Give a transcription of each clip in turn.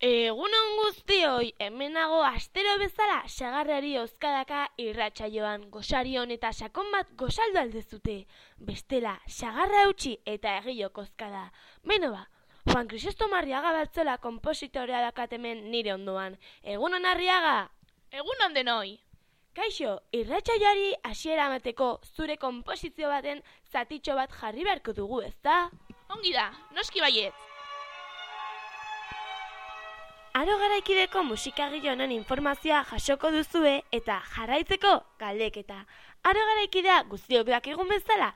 Egunon guztioi, hemenago astero bezala sagarrari oskadaka irratsaioan gosarion eta sakon bat gosaldu aldezute. Bestela, sagarra utzi eta egilok oskada. Beno ba, Juan Crisóstomo Arriaga Baltzola konpositorea dakatemen nire ondoan. Egunon Arriaga! Egunon denoi! Kaixo, irratsaioari hasiera emateko zure konposizio baten zatitxo bat jarri beharko dugu, ezta? Ongi da, noski baietz! Aro garaikideko musikagile honen informazioa jasoko duzue eta jarraitzeko galdeketa. Aro garaikidea guztiok dakigun bezala,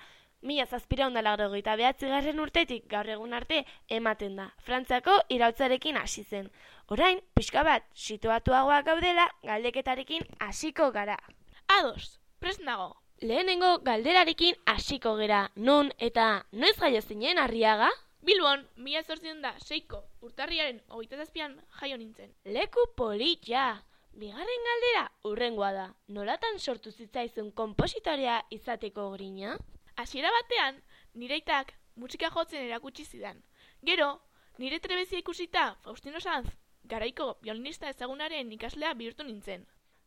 1789 urtetik gaur egun arte ematen da. Frantziako iraultzarekin hasi zen. Orain, pixka bat, situatuagoak gaudela galdeketarekin hasiko gara. Ados, prest nago. Lehenengo galderarekin hasiko gera. Non eta noiz jaio zinen Arriaga? Bilbon, 1806ko urtarriaren 27an jaio nintzen. Leku polita! Bigarren galdera hurrengoa da. Nolatan sortu zitzaizun konpositorea izateko grina? Hasiera batean, nire aitak musika jotzen erakutsi zidan. Gero, nire trebezia ikusita Faustino Sanz, garaiko biolinista ezagunaren ikaslea bihurtu nintzen.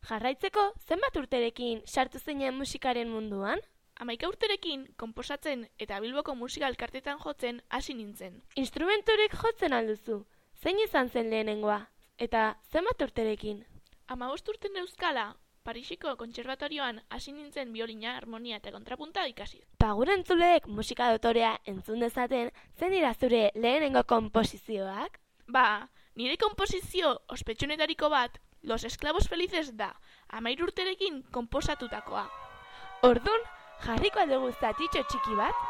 Jarraitzeko, zenbat urterekin sartu zinen musikaren munduan? 11 urterekin konposatzen eta Bilboko musika elkartetan jotzen hasi nintzen. Instrumenturik jotzen alduzu? Zein izan zen lehenengoa? Eta zenbat urterekin? 15 urten euskala, Parisiko kontserbatorioan hasi nintzen biolina, harmonia eta kontrapunta ikasi. Gure entzuleek musika dotorea entzun dezaten, zein dira zure lehenengo konposizioak? Nire konposizio ospetsunetariko bat, Los Esclavos Felices da, 13 urterekin konposatutakoa. Ordun, jarriko aldugu zatitxo txiki bat?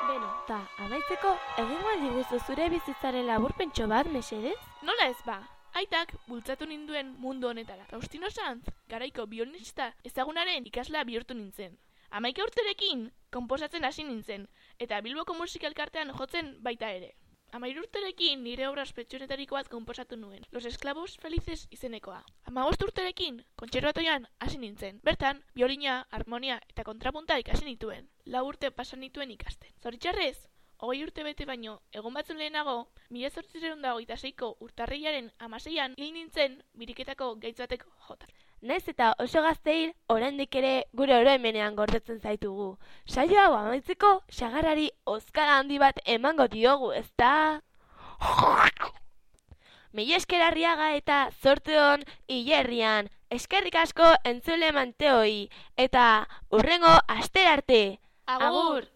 Beno, eta amaitzeko, egingo aldiguzu zure bizitzaren laburpentxo bat, mesedez? Nola ez ba? Aitak bultzatu ninduen mundu honetara. Faustino Sanz, garaiko biolinista ezagunaren ikaslea bihurtu nintzen. 11 urterekin konposatzen hasi nintzen, eta Bilboko musika elkartean jotzen baita ere. 13 urterekin nire obra ospetsunetariko bat konposatu nuen, Los Esclavos Felices izenekoa. 15 urterekin kontserbatorioan hasi nintzen. Bertan, biolina, harmonia eta kontrapunta ikasi nituen. 4 urte pasan nituen ikasten. Zoritxarrez, 20 urte bete baino, egun batzun lehenago, 1826ko urtarrilaren 16an hil nintzen biriketako gaitz batek jota. Naiz eta oso gazteil, oraindik ere gure oroimenean gordetzen zaitugu. Saio hau amaitzeko, sagarrari oskada handi bat emango diogu, ezta? Mila esker Arriaga eta zorte on hilerrian. Eskerrik asko entzule manteoi eta hurrengo astera arte. Agur!